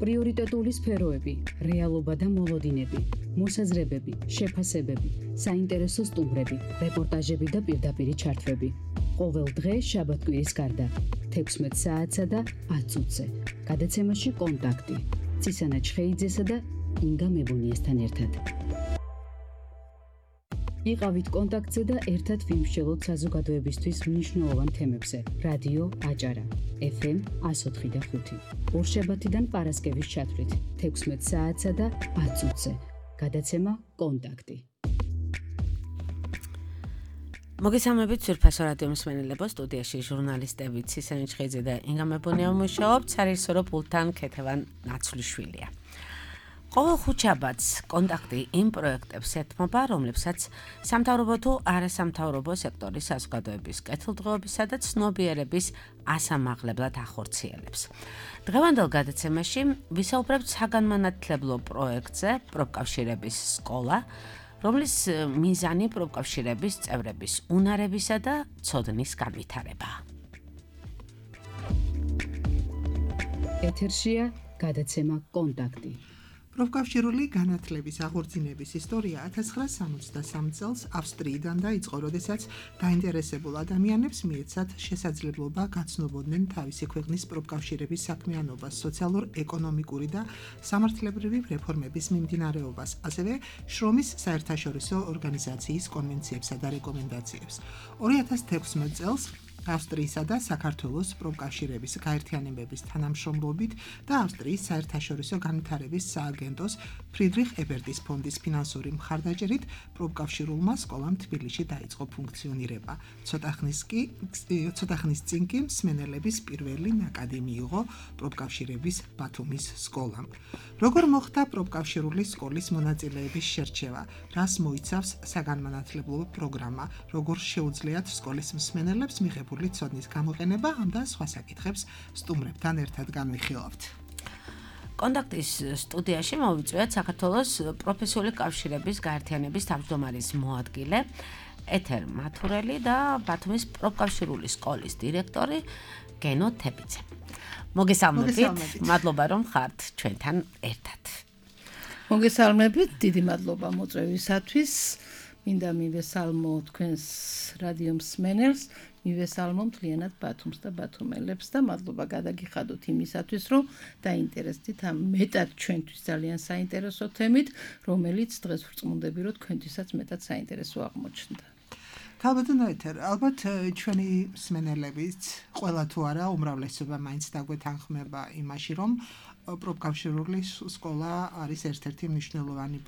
პრიორიტეტული სფეროები, რეალობა და მოლოდინები, მოსაზრებები, შეფასებები, საინტერესო სტუმრები, რეპორტაჟები და პირდაპირი ჩართვები. ყოველ დღე შაბათ-კვირის გარდა 16 საათსა და 10 წუთზე. გადაცემაში კონტაქტი. ცისანა ჩხეიძესა და ინგა მებუნიესთან ერთად. იყავით კონტაქტზე და ერთად ვიმსჯელოთ საზოგადოებისთვის მნიშვნელოვან თემებზე. რადიო აჭარა, FM 104.5. ორშაბათიდან პარასკევის ჩათვლით 16 საათსა და 10 წუთზე. გადაცემა კონტაქტი. მოგესალმებით სურფასო რადიო მსმენელებო, სტუდიაში ჟურნალისტები ცისანა ჩხეიძე და ინგა მებუნია მუშაობთ, სარეჟისორო პულტთან ქეთევან ნაცვლიშვილია. ყოველ ხუთშაბათს კონტაქტი იმ პროექტებს ეთმობა, რომლებსაც სამთავრობო თუ არასამთავრობო სექტორის საზოგადოების კეთილდღეობისა და ცნობიერების ასამაღლებლად ახორციელებს. დღევანდელ გადაცემაში ვისაუბრებთ საგანმანათლებლო პროექტზე პროფკავშირების სკოლა, რომლის მიზანი პროფკავშირების წევრების უნარებისა და ცოდნის განვითარებაა. ეთერშია გადაცემა კონტაქტი. პროფკავშირული განათლების აღორძინების ისტორია 1963 წელს ავსტრიიდან დაიწყო, როდესაც დაინტერესებულ ადამიანებს მიეცათ შესაძლებლობა გაცნობოდნენ თავისი ქვეყნის პროფკავშირების საქმიანობას, სოციალურ-ეკონომიკური და სამართლებრივი რეფორმების მიმდინარეობას, ასევე შრომის საერთაშორისო ორგანიზაციის კონვენციებსა და რეკომენდაციებს. 2016 წელს ავსტრიისა და საქართველოს პროფკავშირების გაერთიანებების თანამშრომლობით და ავსტრიის საერთაშორისო განვითარების სააგენტოს ფრიდრიხ ებერტის ფონდის ფინანსური მხარდაჭერით პროფკავშირულმა სკოლამ თბილისში დაიწყო ფუნქციონირება. ცოტა ხნის წინ კი მსმენელების პირველი ნაკადი მიიღო პროფკავშირების ბათუმის სკოლამ. როგორ მოხდა პროფკავშირული სკოლის მონაწილეების შერჩევა, რას მოიცავს საგანმანათლებლო პროგრამა, როგორ შეუძლიათ სკოლის მსმენელებს მიღებული ცოდნის გამოყენება, ამ და სხვა საკითხებს სტუმრებთან ერთად განვიხილავთ. კონტაქტის სტუდიაში მოვიწვიეთ საქართველოს პროფესიული კავშირების გაერთიანების თავმჯდომარის მოადგილე ეთერ მათურელი და ბათუმის პროფკავშირული სკოლის დირექტორი გენო თებიძე. მოგესალმებით, მადლობა რომ ხართ ჩვენთან ერთად. მოგესალმებით, დიდი მადლობა მოწვევისათვის. მინდა მივესალმო თქვენს რადიო მსმენელს, მივესალმო მთლიანად ბათუმს და ბათუმელებს და მადლობა გადაგიხადოთ იმისათვის, რომ დაინტერესდით ამ მეტად ჩვენთვის ძალიან საინტერესო თემით, რომელიც დღეს ვრწმუნდები, რომ თქვენთვისაც მეტად საინტერესო აღმოჩნდა. თავბადონ ეთერ, ალბათ ჩვენი მსმენელებიც ყველა თუ არა უმრავლესობა მაინც დაგვეთანხმება იმაში, რომ პროფკავშირული სკოლა არის ერთ-ერთი მნიშვნელოვანი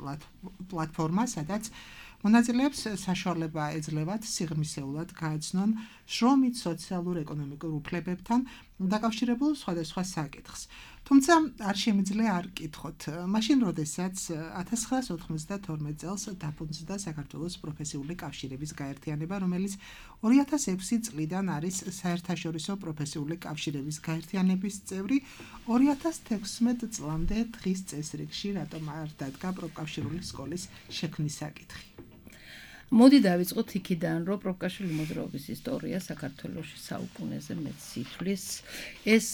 პლატფორმა, სადაც მონაწილეებს საშუალება ეძლევათ სიღრმისეულად გაეცნონ შრომით, სოციალურ-ეკონომიკურ უფლებებთან დაკავშირებულ სხვადასხვა საკითხს. თუმცა არ შემიძლია არ კითხოთ, მაშინ როდესაც 1992 წელს დაფუძნდა საქართველოს პროფესიული კავშირების გაერთიანება, რომელიც 2006 წლიდან არის საერთაშორისო პროფესიული კავშირების გაერთიანების წევრი, 2016 წლამდე დღის წესრიგში რატომ არ დადგა პროფკავშირული სკოლის შექმნის საკითხი. მოდი დავიწყოთ იქიდან, რომ პროფკავშირული მოძრაობის ისტორია საქართველოში საუკუნეზე მეტს ითვლის. ეს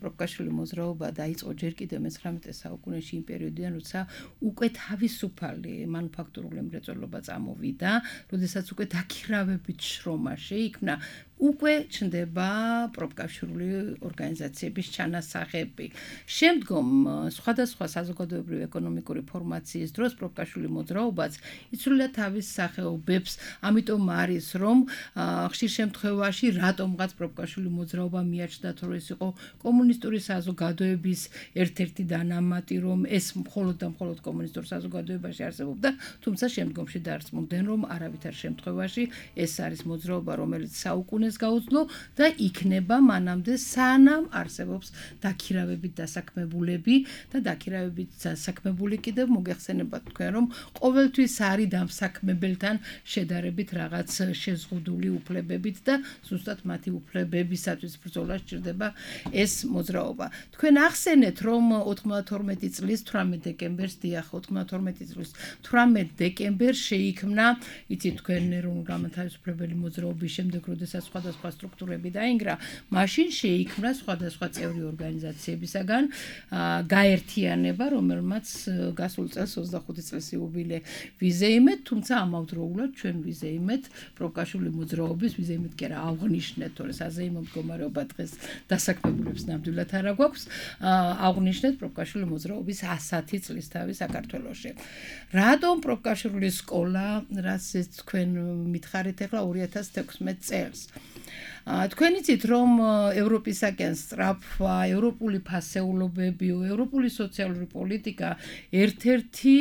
პროფკავშირული მოძრაობა დაიწყო ჯერ კიდევ მე-19 საუკუნეში, იმ პერიოდიდან, როცა უკვე თავისუფალი მანუფაქტურული მრეწველობა წამოვიდა, როდესაც უკვე დაქირავებით შრომა შეიქმნა, უკვე ჩნდება პროფკავშირული ორგანიზაციების ჩანასახები. შემდგომ სხვადასხვა საზოგადოებრივი ეკონომიკური ფორმაციის დროს პროფკავშირული მოძრაობაც იცვლიდა თავის სახეობებს, ამიტომ არის რომ ხშირ შემთხვევაში რატომღაც პროფკავშირული მოძრაობა მიაჩნდათ, რომ ეს იყო კომუნისტური საზოგადოების ერთ-ერთი დანამატი, რომ ეს მხოლოდ და მხოლოდ კომუნისტურ საზოგადოებაში არსებობდა, თუმცა შემდგომში დარწმუნდნენ, რომ არავითარ შემთხვევაში ეს არის მოძრაობა, რომელიც საუკუნეს გაუძლო და იქნება მანამდე სანამ არსებობს დაქირავებით დასაქმებულები და დაქირავებით დასაქმებული კიდევ მოგეხსენებათ თქვენ, რომ ყოველთვის არის დამსაქმებელთან შედარებით რაღაც შეზღუდული უფლებებით და ზუსტად მათი უფლებებისათვის ბრძოლა სჭირდება ეს მოძრაობა. თქვენ ახსენეთ, რომ 92 წლის 18 დეკემბერს, დიახ, 92 წლის 18 დეკემბერს შეიქმნა, იცით თქვენ ეროვნულ-განმათავისუფლებელი მოძრაობის შემდეგ, როდესაც სხვა სხვადასხვა სტრუქტურები დაინგრა, მაშინ შეიქმნა სხვადასხვა წევრი ორგანიზაციებისაგან გაერთიანება, რომელმაც გასულ წელს 25 წლის იუბილე ვიზეიმეთ, თუმცა ამავდროულად ჩვენ ვიზეიმეთ პროფკავშირული მოძრაობის ვიზეიმეთ კი არა აღვნიშნეთ, თორე საზეიმო მდგომარეობა დღეს დასაქმებულებს ნამდვილად არ აქვს, აღვნიშნეთ პროფკავშირული მოძრაობის 100 წლისთავი საქართველოში. რატომ პროფკავშირული სკოლა, რასაც თქვენ მითხარით ახლა 2016 წელს? თქვენ იცით რომ ევროპისაკენ სწრაფვა, ევროპული ფასეულობებიო, ევროპული სოციალური პოლიტიკა ერთ-ერთი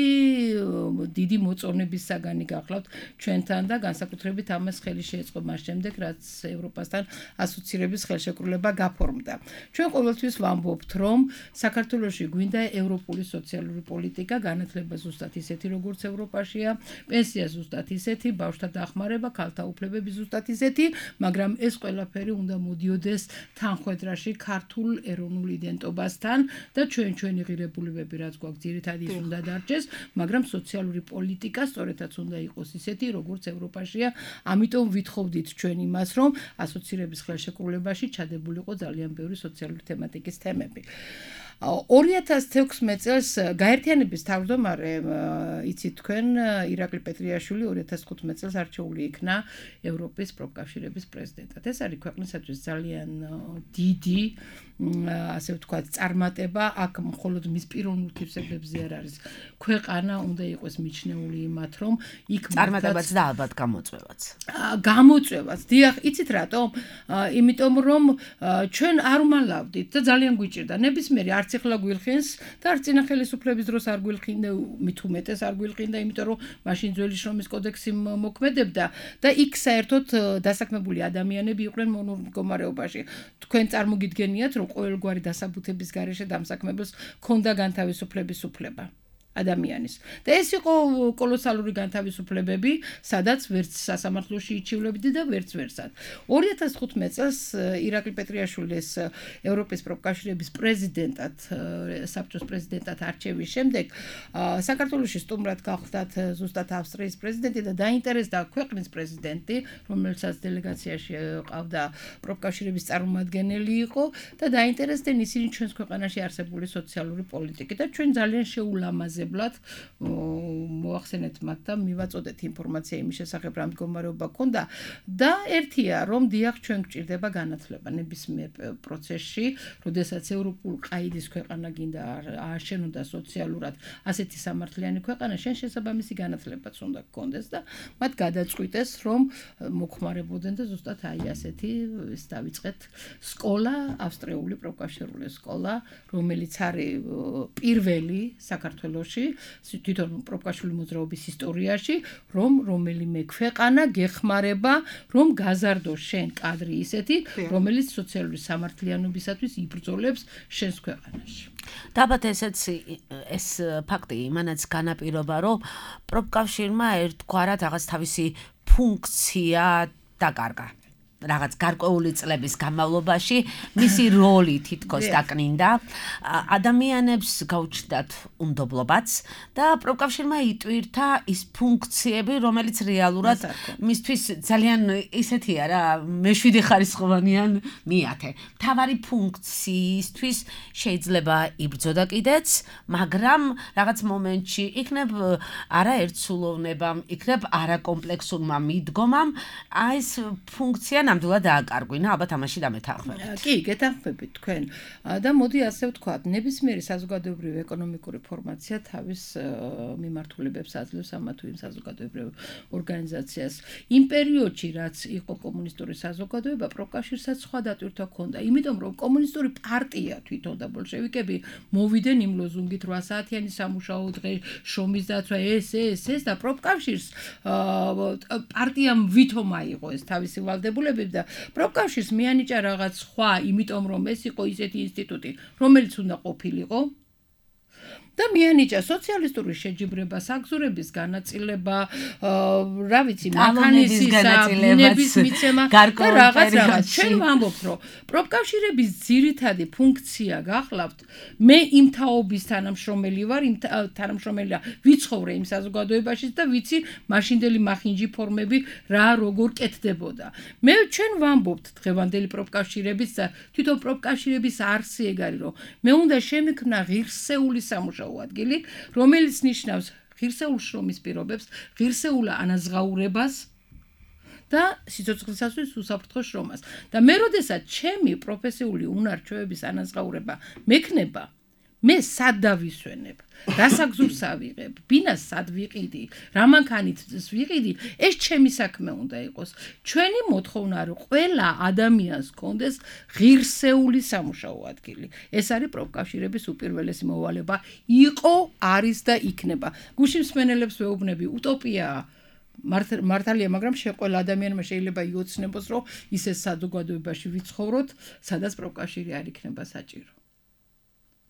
დიდი მოწონების საგანი გახლავთ ჩვენთან და განსაკუთრებით ამას ხელი შეეწყო მას შემდეგ, რაც ევროპასთან ასოცირების ხელშეკრულება გაფორმდა. ჩვენ ყოველთვის ვამბობთ, რომ საქართველოში გვინდა ევროპული სოციალური პოლიტიკა, განათლება ზუსტად ისეთი, როგორც ევროპაშია, პენსია ზუსტად ისეთი, ბავშვთა დახმარება, ქალთა უფლებები ზუსტად ისეთი, მაგრამ ეს ყველაფერი უნდა მოდიოდეს თანხვედრაში ქართულ ეროვნულ იდენტობასთან და ჩვენი ღირებულებები რაც გვაქვს ძირითადად ის უნდა დარჩეს, მაგრამ სოციალური პოლიტიკა სწორედაც უნდა იყოს ისეთი, როგორც ევროპაშია. ამიტომ ვითხოვდით ჩვენ იმას, რომ ასოცირების ხელშეკრულებაში ჩადებულიყო ძალიან ბევრი სოციალური თემატიკის თემები. 2016 წელს გაერთიანების თავმჯდომარე იცით თქვენ ირაკლი პეტრიაშვილი 2015 წელს არჩეული იქნა ევროპის პროფკავშირების პრეზიდენტად. ეს არის ქვეყნისათვის ძალიან დიდი ასე ვთქვათ წარმატება, აქ მხოლოდ მის პიროვნულ თვისებებზე არ არის. ქვეყანა უნდა იყოს მიჩნეული იმათ, რომ იქ წარმატებაც და ალბათ გამოწვევაც. გამოწვევაც. დიახ, იცით რატომ? იმიტომ რომ ჩვენ არ უმალავდით და ძალიან გვიჭირდა. ნებისმიერი არც ახლა გვილხინს და არც წინა ხელისუფლების დროს არ გვილხინდა, მით უმეტეს არ გვილხინდა, იმიტომ რომ მაშინ ძველი შრომის კოდექსი მოქმედებდა და იქ საერთოდ დასაქმებული ადამიანები იყვნენ მონურ მდგომარეობაში. თქვენ წარმოგიდგენიათ, რომ ყოველგვარი დასაბუთების გარეშე დამსაქმებელს ჰქონდა განთავისუფლების უფლება ადამიანის. და ეს იყო კოლოსალური განთავისუფლებები, სადაც ვერც სასამართლოში იჩივლებდი და ვერც ვერსად. 2015 წელს ირაკლი პეტრიაშვილის ევროპის პროფკავშირების პრეზიდენტად, საბჭოს პრეზიდენტად არჩევის შემდეგ საქართველოში სტუმრად გახლდათ ზუსტად ავსტრიის პრეზიდენტი და დაინტერესდა ქვეყნის პრეზიდენტი, რომელსაც დელეგაციაში ყავდა პროფკავშირების წარმომადგენელი იყო და დაინტერესდნენ ისინი ჩვენს ქვეყანაში არსებული სოციალური პოლიტიკით და ჩვენ ძალიან შეულამაზებად მოახსენეთ მათ და მივაწოდეთ ინფორმაცია იმის შესახებ რა მდგომარეობა ქონდა და ერთია რომ დიახ ჩვენ გვჭირდება განათლება ნებისმიერ პროცესში, როდესაც ევროპულ ყაიდის ქვეყანა გინდა ააშენოდა სოციალურად ასეთი სამართლიანი ქვეყანა, შენ შესაბამისი განათლებაც უნდა გქონდეს და მათ გადაწყვიტეს რომ მოხმარებოდნენ და ზუსტად აი ასეთი ის დავიწყეთ სკოლა, ავსტრიული პროფკავშირული სკოლა, რომელიც არის პირველი საქართველოში თვითონ პროფკავშირული მოძრაობის ისტორიაში, რომ რომელიმე ქვეყანა გეხმარება, რომ გაზარდოს შენ კადრი ისეთი, რომელიც სოციალური სამართლიანობისათვის იბრძოლებს შენს ქვეყანაში. და ალბათ ეს ფაქტი იმანაც განაპირობა, რომ პროფკავშირმა ერთგვარად რაღაც თავისი ფუნქცია დაკარგა. რაღაც გარკვეული წლების განმავლობაში მისი როლი თითქოს დაკნინდა, ადამიანებს გაუჩნდათ უნდობლობაც და პროფკავშირმა იტვირთა ის ფუნქციები, რომელიც რეალურად მისთვის ძალიან ისეთია რა, მეშვიდე ხარისხოვანიან მიათე. მთავარი ფუნქციისთვის შეიძლება იბრძოდა კიდეც, მაგრამ რაღაც მომენტში იქნებ არაერთსულოვნებამ, იქნებ არაკომპლექსურმა მიდგომამ, აი ეს ფუნქცია ნამდვილად დააკარგვინა, ალბათ ამაში დამეთანხმებით. კი, გეთანხმებით თქვენ. და მოდი ასე ვთქვათ, ნებისმიერი საზოგადოებრივი ეკონომიკური ფორმაცია თავის მიმართულებებს აძლევს ამა თუ იმ საზოგადოებრივ ორგანიზაციას. იმ პერიოდში, რაც იყო კომუნისტური საზოგადოება, პროფკავშირსაც სხვა დატვირთვა ჰქონდა, იმიტომ რომ კომუნისტური პარტია თვითონ და ბოლშევიკები მოვიდნენ იმ ლოზუნგით 8 საათიანი სამუშაო დღე, შრომის დაცვა, ეს და პროფკავშირს პარტიამ ვითომ აიღო ეს თავისი ვალდებულება და პროფკავშირს მიანიჭა რაღაც სხვა, იმიტომ რომ ეს იყო ისეთი ინსტიტუტი, რომელიც უნდა ყოფილიყო და მიანიჭა სოციალისტური შეჯიბრება, საგზურების განაწილება, რა ვიცი, მანქანების განაწილების მიცემა და რაღაც. ჩვენ ვამბობთ, რომ პროფკავშირების ძირითადი ფუნქცია გახლავთ, მე იმ თაობის თანამშრომელი ვარ, იმ თანამშრომელია ვიცხოვრე იმ საზოგადოებაში და ვიცი მაშინდელი მახინჯი ფორმები რა როგორ კეთდებოდა. ჩვენ ვამბობთ დღევანდელი პროფკავშირების და თვითონ პროფკავშირების არსი ეგ არის, რომ მე უნდა შემექმნა ღირსეული სამუშაო ადგილი, რომელიც ნიშნავს ღირსეულ შრომის პირობებს, ღირსეულ ანაზღაურებას და სიცოცხლისათვის უსაფრთხო შრომას. და მე როდესაც ჩემი პროფესიული უნარ-ჩვევების ანაზღაურება მექნება, მე სად დავისვენებ, რა საგზურს ავიღებ, ბინას სად ვიყიდი, რა მანქანით ვიყიდი, ეს ჩემი საქმე უნდა იყოს. ჩვენი მოთხოვნა რომ ყველა ადამიანს კონდეს ღირსეული სამუშაო ადგილი. ეს არის პროფკავშირების უპირველესი მოვალება, იყო, არის და იქნება. გუშინ მსმენელებს ვეუბნები, უტოპიაა. მართალია, მაგრამ ყველა ადამიანმა შეიძლება იოცნებოს, რომ ისე საზოგადოებაში ვიცხოვროთ, სადაც პროფკავშირი არ იქნება საჭირო.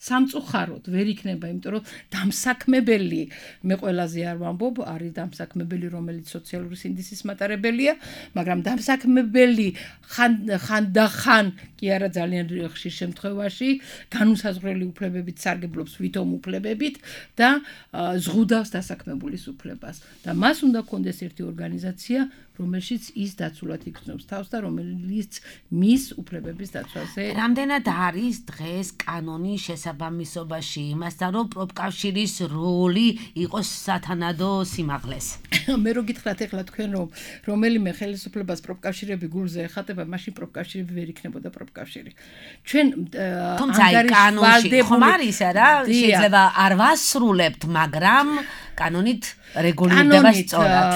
სამწუხაროდ ვერ იქნება, იმიტომ რომ დამსაქმებელი, მე ყველაზე არ ვამბობ, არის დამსაქმებელი, რომელიც სოციალური სინდისის მატარებელია, მაგრამ დამსაქმებელი ხანდახან კი არა ძალიან ხშირ შემთხვევაში განუსაზღვრელი უფლებებით სარგებლობს ვითომ უფლებებით და ზღუდავს დასაქმებულის უფლებას. და მას უნდა კონდეს ერთი ორგანიზაცია, რომელშიც ის დაცულად იქნობს თავს და რომელიც მის უფლებების დაცვაზე. რამდენად არის დღეს კანონი შესაბამისობაში იმასთან, რომ პროფკავშირის როლი იყოს სათანადო სიმაღლეს? მე რო გითხრათ ეხლა თქვენ რომ რომელიმე ხელისუფლებას პროფკავშირები გულზე ეხატება, მაშინ პროფკავშირები ვერ იქნებოდა პროფკავშირი. ჩვენ ანგარიშვალდებული ხომ არის რა, შეიძლება არ ვასრულებთ, მაგრამ კანონით რეგულირდება სწორად.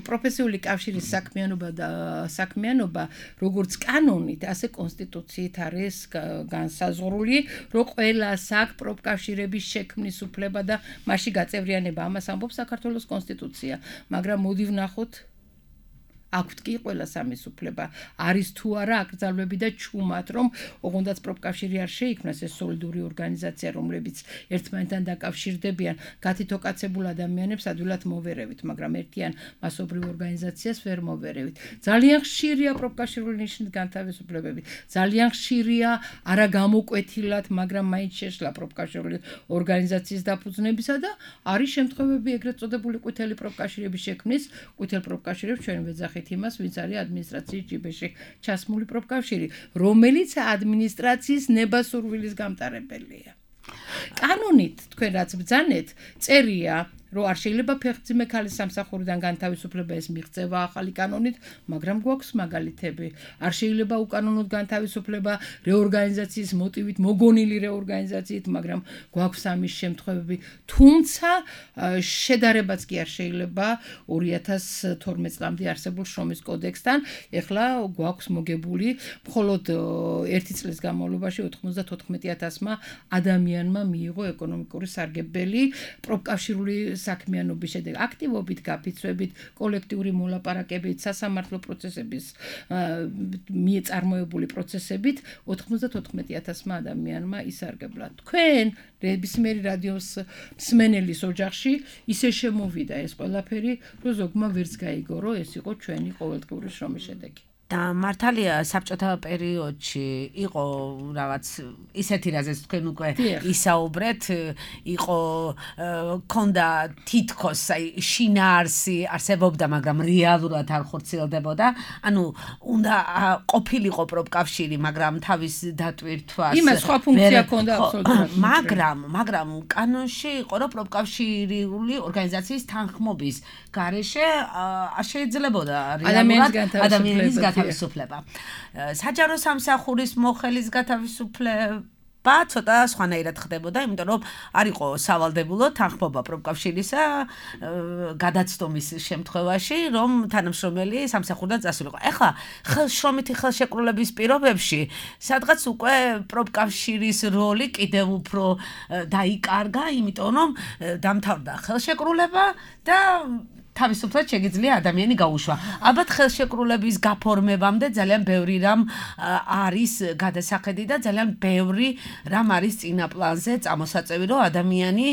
პროფესიული კავშირის საქმიანობა, როგორც კანონით, ასე კონსტიტუციით არის განსაზღვრული, რომ ყველას აქვს პროფკავშირების შექმნის უფლება და მასში გაწევრიანება. ამას ამბობს საქართველოს კონსტიტუცია, მაგრამ მოდი ვნახოთ აქვთ კი ყველა სამის უფლება. არის თუ არა აკრძალვები და ჩუმად, რომ ოღონდაც პროფკავშირი არ შეიქმნას, ეს სოლიდური ორგანიზაცია, რომლებიც ერთმანეთთან დაკავშირდებიან, გათითოკაცებულ ადამიანებს ადვილად მოვერევით, მაგრამ ერთიან მასობრივ ორგანიზაციას ვერ მოვერევით. ძალიან ხშირია პროფკავშირული ნიშნით განთავისუფლებები. ძალიან ხშირია არაგამოკვეთილად, მაგრამ მაინც შეშლა პროფკავშირული ორგანიზაციის დაფუძნებისა და არის შემთხვევები ეგრეთ წოდებული ყვითელი პროფკავშირების შექმნის, ყვითელ პროფკავშირებს ჩვენ ვეძახით იმას, ვინც არის ადმინისტრაციის ჯიბეში ჩასმული პროფკავშირი, რომელიც ადმინისტრაციის ნებასურვილის გამტარებელია. კანონით თქვენ რაც ბრძანეთ, წერია, რომ არ შეიძლება ფეხმძიმე ქალის სამსახურიდან განთავისუფლება ეს მიღწევა ახალი კანონით, მაგრამ გვაქვს მაგალითები. არ შეიძლება უკანონოდ განთავისუფლება რეორგანიზაციის მოტივით, მოგონილი რეორგანიზაციით, მაგრამ გვაქვს ამის შემთხვევები. თუმცა შედარებაც კი არ შეიძლება 2012 წლამდე არსებულ შრომის კოდექსთან. ეხლა გვაქვს მოგებული მხოლოდ ერთი წლის განმავლობაში 94,000-მა ადამიანმა მიიღო ეკონომიკური სარგებელი პროფკავშირული საქმიანობის შედეგად, აქტივობით, გაფიცვებით, კოლექტიური მოლაპარაკებით, სასამართლო პროცესების წარმოებული პროცესებით 94,000-მა ადამიანმა ისარგებლა. თქვენ ნებისმიერი რადიოს მსმენელის ოჯახში ისე შემოვიდა ეს ყველაფერი, რომ ზოგმა ვერც გაიგო, რომ ეს იყო ჩვენი ყოველდღიური შრომის შედეგი. და მართალია საბჭოთა პერიოდში იყო რაღაც ისეთი რაზეც თქვენ უკვე ისაუბრეთ, იყო ქონდა თითქოს შინაარსი არსებობდა, მაგრამ რეალურად არ ხორციელდებოდა. ანუ უნდა ყოფილიყო პროფკავშირი, მაგრამ თავის დატვირთვას იმას სხვა ფუნქცია ქონდა აბსოლუტურად. მაგრამ კანონში იყო, რომ პროფკავშირული ორგანიზაციის თანხმობის გარეშე არ შეიძლებოდა რეალურად ადამიანის გათავისუფლება. საჯარო სამსახურის მოხელის გათავისუფლება ცოტა სხვანაირად ხდებოდა, იმიტომ რომ არ იყო სავალდებულო თანხმობა პროფკავშირისა გადაცდომის შემთხვევაში, რომ თანამშრომელი სამსახურიდან წასულიყო. ეხლა შრომითი ხელშეკრულების პირობებში სადღაც უკვე პროფკავშირის როლი კიდევ უფრო დაიკარგა, იმიტომ რომ დამთავრდა ხელშეკრულება და თავისუფლად შეგიძლია ადამიანი გაუშვა. ალბათ ხელშეკრულების გაფორმებამდე ძალიან ბევრი რამ არის გადასახედი და ძალიან ბევრი რამ არის წინა პლანზე წამოსაწევი, რომ ადამიანი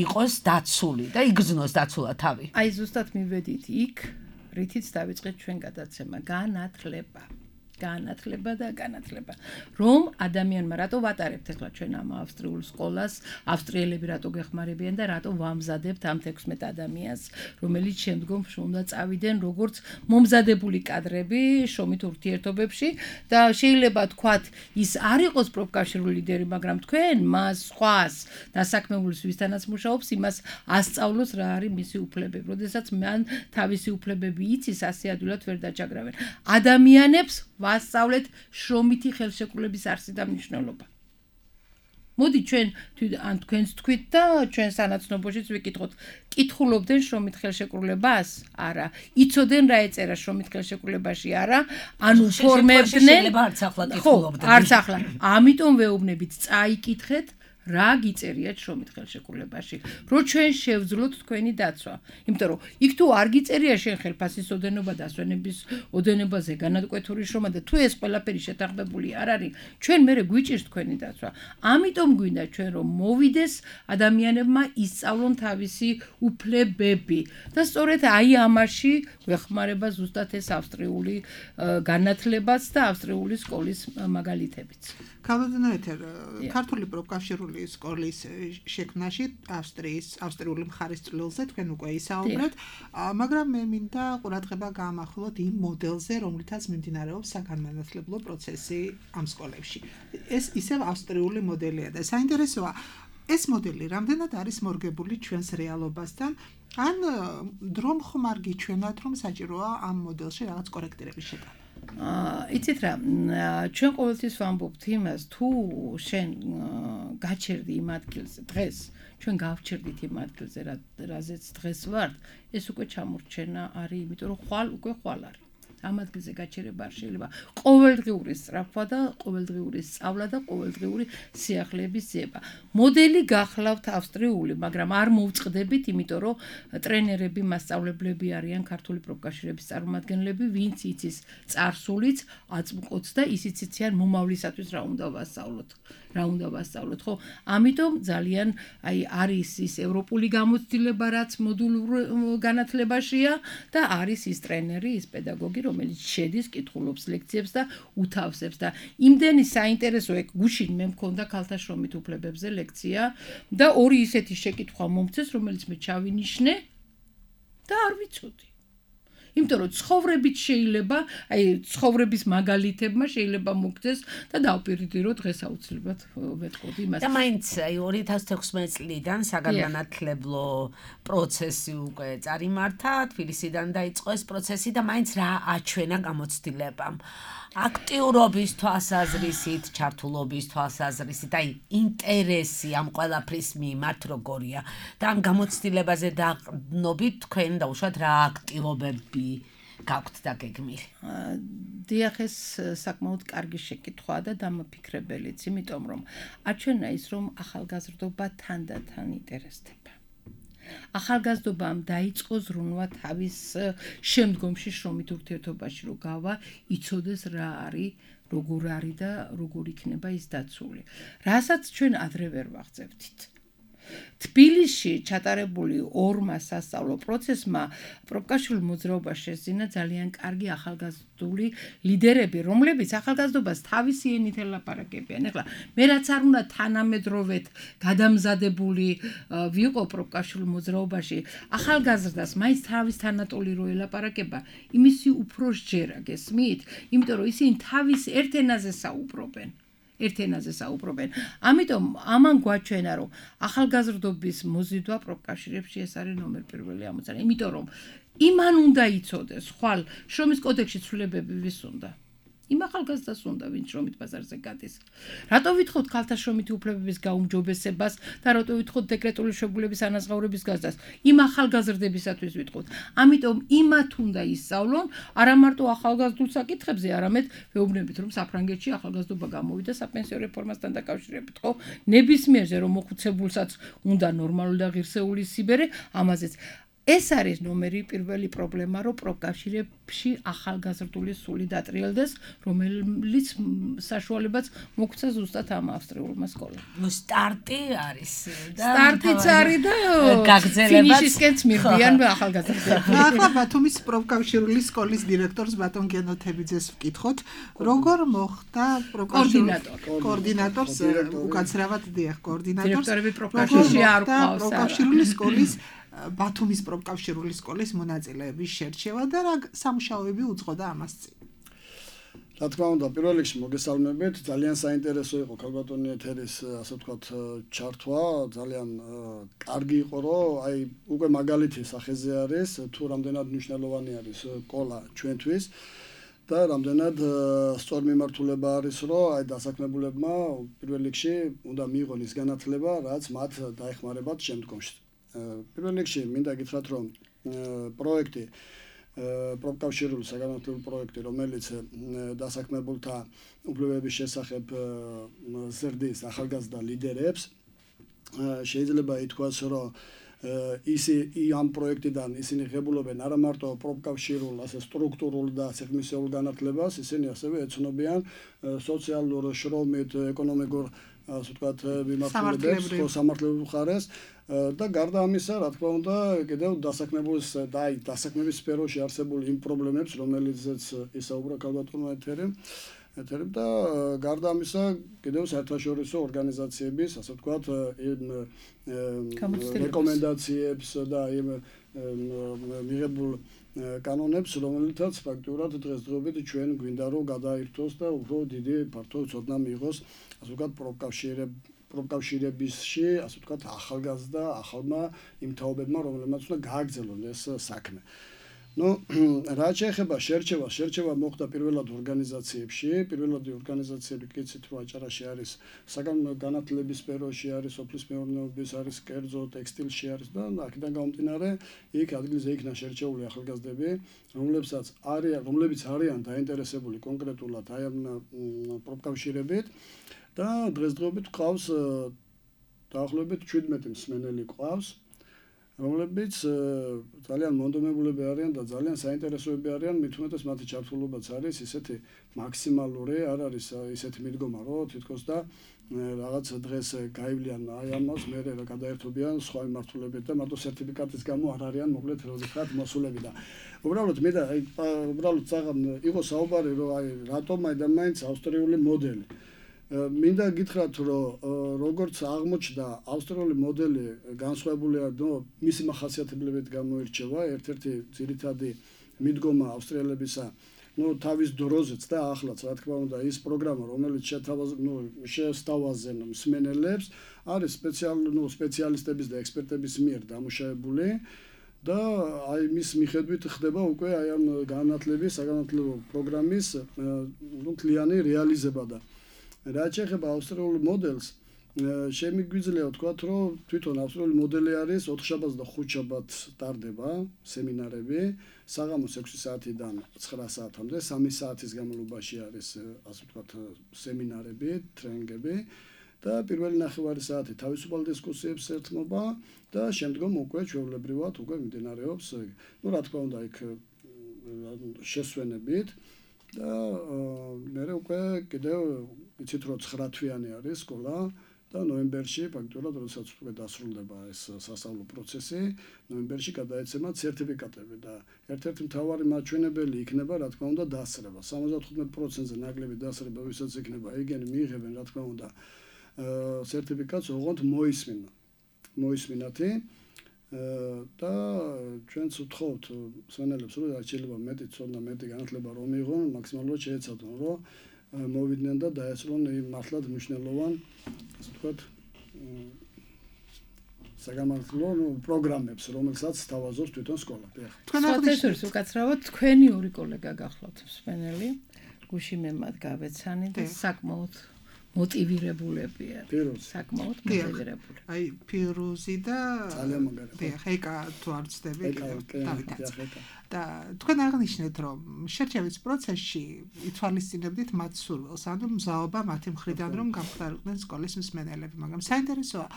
იყოს დაცული და იგრძნოს დაცულად თავი. აი ზუსტად მივედით იქ, რითიც დავიწყეთ ჩვენ გადაცემა, განათლება. რომ ადამიანმა რატო ვატარებთ ახლა ჩვენ ამ ავსტრიულ სკოლას, ავსტრიელები რატო გეხმარებიან და რატო ვამზადებთ ამ 16 ადამიანს, რომელიც შემდგომ უნდა წავიდნენ როგორც მომზადებული კადრები შრომით ურთიერთობებში და შეიძლება თქვათ ის არ იყოს პროფკავშირული ლიდერი, მაგრამ თქვენ მას სხვას დასაქმებულს ვისთანაც მუშაობს, იმას ასწავლოს რა არის მისი უფლებები. როდესაც მან თავისი უფლებები იცის, ასე ადვილად ვერ დაჭაგრავენ. ადამიანებს ვასწავლეთ შრომითი ხელშეკრულების არსი და მნიშვნელობა. მოდი ჩვენ თქვენს თქვით და ჩვენ სანაცნობოშიც ვიკითხოთ, კითხულობდნენ შრომით ხელშეკრულებას? არა. იცოდნენ რა ეწერა შრომით ხელშეკრულებაში? არა. ანუ ფორმებდნენ. ხო, არც ახლა. ამიტომ ვეუბნებით, წაიკითხეთ რა გიწერიათ შრომით ხელშეკრულებაში, რომ ჩვენ შევძლოთ თქვენი დაცვა. იმიტომ რომ იქ თუ არ გიწერია შენ ხელფასის ოდენობა და ასვენების ოდენებაზე განატკვეთური შრომა და თუ ეს ყველაფერი შეთანხმებული არ არის, ჩვენ მერე გვიჭირს თქვენი დაცვა. ამიტომ გვინდა ჩვენ რომ მოვიდეს ადამიანებმა ისწავლონ თავისი უფლებები და სწორედ აი ამაში გვეხმარება ზუსტად ეს ავსტრიული განათლებაც და ავსტრიული სკოლის მაგალითებიც. ქალბატონეთერ, ქართული პროფკავშირული სკოლის შექმნაში ავსტრიული მხარის წვლილზე თქვენ უკვე ისაუბრეთ, მაგრამ მე მინდა ყურადღება გაამახვილოთ იმ მოდელზე, რომლითაც მიმდინარეობს საგანმანათლებლო პროცესი ამ სკოლებში. ეს ისევ ავსტრიული მოდელია და საინტერესოა, ეს მოდელი რამდენად არის მორგებული ჩვენს რეალობასთან, ან დრომ ხმარ გიჩვენათ, რომ საჭიროა ამ მოდელში რაღაც კორექტირების შეტანა. იცით რა, ჩვენ ყოველთვის ვამბობთ იმას, თუ შენ გაჩერდი იმ ადგილზე დღეს, ჩვენ გავჩერდით იმ ადგილზე, რაზეც დღეს ვართ, ეს უკვე ჩამორჩენა არის, იმიტომ რომ ხვალ უკვე ხვალ არის. ამ ადგილზე გაჩერება არ შეიძლება. ყოველდღიური სწრაფვა და ყოველდღიური სწავლა და ყოველდღიური სიახლეების ძიება. მოდელი გახლავთ ავსტრიული, მაგრამ არ მოვწყდებით, იმიტომ რომ ტრენერები, მასწავლებლები არიან ქართული პროფკავშირების წარმომადგენლები, ვინც იცის წარსულიც, აწმყოც და ისიც იციან მომავლისათვის რა უნდა ვასწავლოთ, ხო? ამიტომ ძალიან არის ის ევროპული გამოცდილება, რაც მოდულურ განათლებაშია და არის ის ტრენერი, ის პედაგოგი, რომელიც შედის, კითხულობს ლექციებს და უთავსებს და იმდენი საინტერესო ეგ გუშინ მე მქონდა ქალთა შრომით უფლებებზე ლექცია და ორი ისეთი შეკითხვა მომწეს, რომელიც მე ჩავინიშნე და არ ვიცოდი. იმიტომ რომ ცხოვრებით შეიძლება, ცხოვრების მაგალითებმა შეიძლება მოგწეს და დავპირდირო დღეს აუცილებლად ვეთყოდი იმას. და მაინც 2016 წლიდან საგანმანათლებლო პროცესი უკვე წარიმართა, თბილისიდან დაიწყო ეს პროცესი და მაინც რა აჩვენა გამოცდილებამ. აქტიურობის თვალსაზრისით, ჩართულობის თვალსაზრისით, ინტერესი ამ ყველაფრის მიმართ როგორია და ამ გამოცდილებაზე დაყრდნობით თქვენ დაუშვათ რა აქტივობები გაქვთ დაგეგმილი. დიახ, ეს საკმაოდ კარგი შეკითხვაა და დამაფიქრებელიც, იმიტომ რომ აჩვენა ის, რომ ახალგაზრდობა თანდათან ინტერესდება. ახალგაზრდობამ დაიწყო ზრუნვა თავის შემდგომში შრომით ურთიერთობაში რომ გავა, იცოდეს რა არის, როგორ არის და როგორ იქნება ის დაცული. რასაც ჩვენ ადრე ვერ ვაღწევდით. თბილისში ჩატარებული ორმა სასწავლო პროცესმა პროფკავშირულ მოძრაობას შესძინა ძალიან კარგი ახალგაზრდული ლიდერები, რომლებიც ახალგაზრდობას თავისი ენით ელაპარაკებიან. ეხლა მე რაც არ უნდა თანამედროვედ გადამზადებული ვიყო პროფკავშირულ მოძრაობაში, ახალგაზრდას მაინც თავის თანატოლი რო ელაპარაკება, იმისი უფრო სჯერა გესმით, იმიტომ რომ ისინი თავის ერთ ენაზე საუბრობენ. ამიტომ ამან გვაჩვენა, რომ ახალგაზრდობის მოზიდვა პროფკავშირებში ეს არის ნომერ პირველი ამოცანა. იმიტომ რომ იმან უნდა იცოდეს, ხვალ შრომის კოდექსში ცვლილებები ვის უნდა? იმ ახალგაზრდას უნდა, ვინც შრომით ბაზარზე გადის. რატო ვითხოვთ ქალთა შრომითი უფლებების გაუმჯობესებას და რატო ვითხოვთ დეკრეტული შეგულების ანაზღაურების გაზრდას? იმ ახალგაზრდებისათვის ვითხოვთ. ამიტომ იმათ უნდა ისწავლონ, არა მარტო ახალგაზრდულ საკითხებზე, არამედ ვეუბნებით, რომ საფრანგეთში ახალგაზრდობა გამოვიდა საპენსიო რეფორმასთან დაკავშირებით, ხო? ნებისმიერზე რომ მოხუცებულსაც უნდა ნორმალური და ღირსეული სიბერე, ამაზეც ეს არის ნომერი პირველი პრობლემა, რომ პროფკავშირებში ახალგაზრდული სული დატრიალდეს, რომელიც საშუალებაც მოგვცა ზუსტად ამ ავსტრიულმა სკოლამ. ნუ სტარტი არის და სტარტიც არის და გაგრძელებაც ფინიშისკენც მივდიან ახალგაზრდები. ახლა ბათუმის პროფკავშირული სკოლის დირექტორს ბატონ გენოთებიძეს ვკითხოთ, როგორ მოხდა კოორდინატორს უკაცრავად დიახ კოორდინატორს დირექტორები პროფკავშირში არ ყავს პროფკავშირული სკოლის ბათუმის პროფკავშირული სკოლის მონაწილეების შერჩევა და რა სამუშაოები უძღოდა ამას წინ. რა თქმა უნდა, პირველ რიგში მოგესალმებით, ძალიან საინტერესო იყო ქალბატონი ეთერის, ასე ვთქვათ, ჩართვა, ძალიან კარგი იყო, რომ აი უკვე მაგალითი სახეზე არის, თუ რამდენად მნიშვნელოვანი არის სკოლა ჩვენთვის და რამდენად სწორ მიმართულება არის, რომ აი დასაქმებულებმა პირველ რიგში უნდა მიიღონ ის განათლება, რაც მათ დაეხმარებათ შემდგომში. პირველ რიგში მინდა გითხრათ, რომ პროექტი პროფკავშირული საგანმანათლებლო პროექტი, რომელიც დასაქმებულთა უფლებების შესახებ ზრდის ახალგაზრდა ლიდერებს, შეიძლება ითქვას, რომ ამ პროექტიდან ისინი ღებულობენ არა მარტო პროფკავშირულ, ასე სტრუქტურულ და სიღრმისეულ განათლებას, ისინი ასევე ეცნობიან სოციალურ, შრომით, ეკონომიკურ, ასე ვთქვათ, მიმართულებებს, სამართლებრივ მხარეს და გარდა ამისა, რა თქმა უნდა, კიდევ დასაქმების სფეროში არსებული იმ პრობლემებს, რომელიცაც ისაუბრა ქალბატონმა ეთერიმ და გარდა ამისა, კიდევ საერთაშორისო ორგანიზაციების, ასე ვთქვათ, იმ რეკომენდაციებს და იმ მიღებულ კანონებს, რომელთაც ფაქტურად დღესდღეობით ჩვენ გვინდა რომ გადაირთვოს და უფრო დიდი ფართო ცოდნა მიიღოს, ასე ვთქვათ, პროფკავშირებისში, ასე ვთქვათ, ახალგაზრდა ახალმა იმ თაობებმა, რომლებმაც უნდა გააგრძელონ ეს საქმე. ნუ რაც შეეხება შერჩევა მოხდა პირველად ორგანიზაციებში, კიცით რომ აჭარაში არის საგანმანათლებლობის სფეროში არის, სოფლის მეურნეობის არის, კერძო, ტექსტილში არის და აქედან გამომდინარე იქ ადგილზე იქნა შერჩეული ახალგაზრდები, რომლებიც არიან დაინტერესებული კონკრეტულად აი ამ პროფკავშირებით და დღესდღეობით ყავს დაახლოებით 17 მსმენელი ყავს, რომლებიც ძალიან მონდომებულები არიან და ძალიან საინტერესოები არიან, მით უმეტეს მათი ჩართულობაც არის ისეთი მაქსიმალური, არ არის ისეთი მიდგომა, რომ თითქოს და რაღაც დღეს გაივლიან აი ამას, მერე რა გადაერთობიან სხვა მიმართულებით და მარტო სერტიფიკატის გამო არ არიან მოკლედ როდესაც მოსულები და უბრალოდ მე და აი უბრალოდ იყო საუბარი, რომ აი რატომ მაინც ავსტრიული მოდელი მინდა გითხრათ, რომ როგორც აღმოჩნდა ავსტრიული მოდელი განსხვავებულია, მისი მახასიათებლებით გამოირჩევა, ერთ-ერთი ძირითადი მიდგომა ავსტრიელებისა, თავის დროზეც და ახლაც, რა თქმა უნდა, ის პროგრამა, რომელიც შესთავაზენ მსმენელებს, არის სპეციალისტების და ექსპერტების მიერ დამუშავებული და აი მის მიხედვით ხდება უკვე აი ამ საგანმანათლებლო პროგრამის მთლიანი რეალიზება და რაც შეეხება ავსტრიულ მოდელს, შემიგვიძლია ვთქვათ, რომ თვითონ ავსტრიული მოდელი არის 4-შაბათს და 5-შაბათს ტარდება სემინარები, საღამოს 6 საათიდან 9 საათამდე, 3 საათის განმავლობაში არის, ასე ვთქვათ, სემინარები, ტრენინგები და პირველი ნახევარი საათი თავისუფალ დისკუსიებს ეთმობა და შემდგომ უკვე ჩვეულებრივად უკვე მიმდინარეობს, რა თქმა უნდა, იქ შესვენებით და მე უკვე კიდევ იცით რომ 9 თვიანი არის სკოლა და ნოემბერში ფაქტურად როდესაც უკვე დასრულდება ეს სასწავლო პროცესი, ნოემბერში გადაეცემათ სერტიფიკატები და ერთ-ერთი მთავარი მაჩვენებელი იქნება, რა თქმა უნდა, დასწრება. 75%-ზე ნაკლები დასწრება, ვისაც იქნება, იგენი მიიღებენ, რა თქმა უნდა, სერტიფიკატს, ოღონდ მოისმინათი და ჩვენც ვთხოვთ მსმენელებს, რომ შეიძლება მეტი ცოდნა, მეტი განათლება რომ მიიღონ, მაქსიმალურად შეეცადონ, რომ მოვიდნენ და დაესწრონ მართლაც მნიშვნელოვან, ასე ვთქვათ, საგანმანათლებლო პროგრამებს, რომელსაც თავაზობს თვითონ სკოლა. თქვენ აღნიშნეთ, უკაცრავად თქვენი ორი კოლეგა გახლავთ მსმენელი, გუში მე მათ გავეცანი და საკმაოდ მოტივირებულებია. საკმაოდ მოტივირებული. აი ფირუზი და ძალიან მაგარი. ხეკა თუ არ ვცდები, და თქვენ აღნიშნეთ, რომ შერჩევის პროცესში ითვალისწინებდით მათ სურვილს, ანუ მზაობა მათი მხრიდან რომ გამხდარიყვნენ სკოლის მსმენელები, მაგრამ საინტერესოა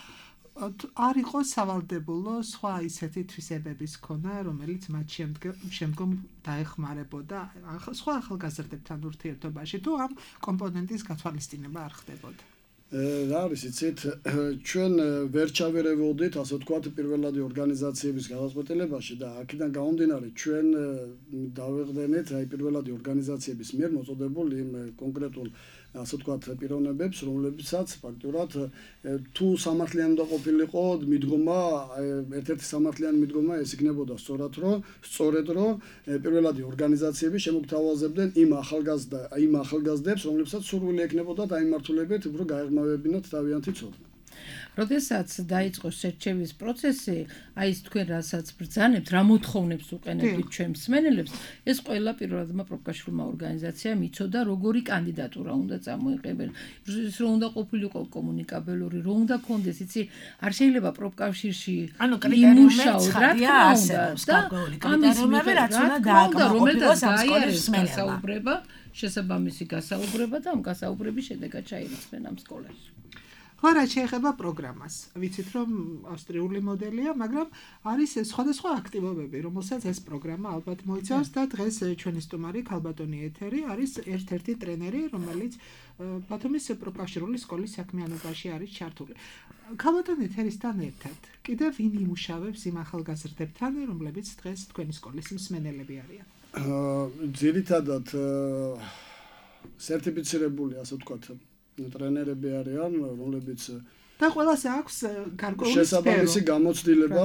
არ იყო სავალდებულო სხვა ისეთი თვისებების ქონა, რომელიც მათ შემდგომ დაეხმარებოდა სხვა ახალგაზრდებთან ურთიერთობაში, თუ ამ კომპონენტის გათვალისწინება არ ხდებოდა. რა არის იცით, ჩვენ ვერ ჩავერევოდით, ასე ვთქვათ, პირველადი ორგანიზაციების გადაწყვეტილებაში და აქედან გამომდინარე, ჩვენ დავეღდენით აი პირველადი ორგანიზაციების მიერ მოწოდებულ იმ კონკრეტულ ასე ვთქვათ პიროვნებებს, რომლებიცაც ფაქტურად თუ სამართლიანი უნდა ყოფილიყო მიდგომა, ერთ-ერთი სამართლიანი მიდგომა ეს იქნებოდა სწორედ რომ პირველადი ორგანიზაციები შემოგთავაზებდნენ იმ ახალგაზრდებს, რომლებსაც სურვილი ექნებოდა დაიმართულებით, უფრო გაეღმავებინათ თავიანთი ცოდნა. როდესაც დაიწყო შერჩევის პროცესი, აი ეს თქვენ რასაც ბრძანებთ, რა მოთხოვნებს უყენებთ ჩვენ მსმენელებს, ეს ყველა პირველადმა პროფკავშირულმა ორგანიზაციამ იცოდა, როგორი კანდიდატურა უნდა წამოიყენებენ. ის რომ უნდა ყოფილიყო კომუნიკაბელური, რომ უნდა კონდეს, იცი, არ შეიძლება პროფკავშირში იმუშაო, რა თქმა უნდა, და ამის რაც უნდა დააკმაყოფილოს ამ სკოლის მსმენელმა. შესაბამისი გასაუბრება და ამ გასაუბრების შედეგად ჩაირიცხნენ ამ სკოლაში. ხო, რაც შეეხება პროგრამას, ვიცით რომ ავსტრიული მოდელია, მაგრამ არის სხვადასხვა აქტივობები, რომელსაც ეს პროგრამა ალბათ მოიცავს და დღეს ჩვენი სტუმარი ქალბატონი ეთერი არის ერთ-ერთი ტრენერი, რომელიც ბათუმის პროფკავშირული სკოლის საქმიანობაში არის ჩართული. ქალბატონი ეთერისთან ერთად კიდევ ვინ იმუშავებს იმ ახალგაზრდებთან, რომლებიც დღეს თქვენი სკოლის მსმენელები არიან? ძირითადად სერტიფიცირებული, ასე ვთქვათ, ტრენერები არიან, რომლებიც და ყველას აქვს გარკვეული შესაბამისი გამოცდილება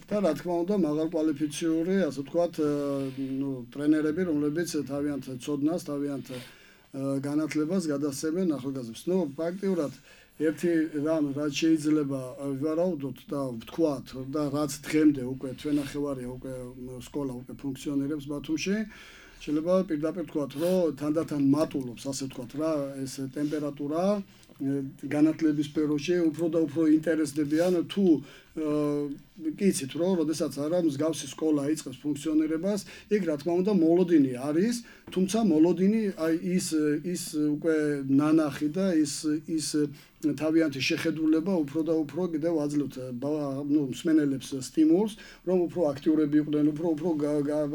და რა თქმა უნდა მაღალკვალიფიციური, ასე ვთქვათ, ტრენერები, რომლებიც თავიანთ ცოდნას, თავიანთ განათლებას გადასცემენ ახალგაზრდებს. ფაქტიურად ერთი რამ, რაც შეიძლება ვივარაუდოთ და ვთქვათ და რაც დღემდე უკვე თვენახევარია უკვე სკოლა უკვე ფუნქციონირებს ბათუმში, შეიძლება პირდაპირ ვთქვათ, რომ თანდათან მატულობს, ასე ვთქვათ რა, ეს ტემპერატურა განათლების სფეროში უფრო და უფრო ინტერესდებიან თუ კიცით რომ როდესაც არა მსგავსი სკოლა იწყებს ფუნქციონირებას, იქ რა თქმა უნდა მოლოდინი არის, თუმცა მოლოდინი აი ის უკვე ნანახი და ის თავიანთი შეხედულება უფრო და უფრო კიდევ აძლევთ მსმენელებს სტიმულს, რომ უფრო აქტიურები იყვნენ, უფრო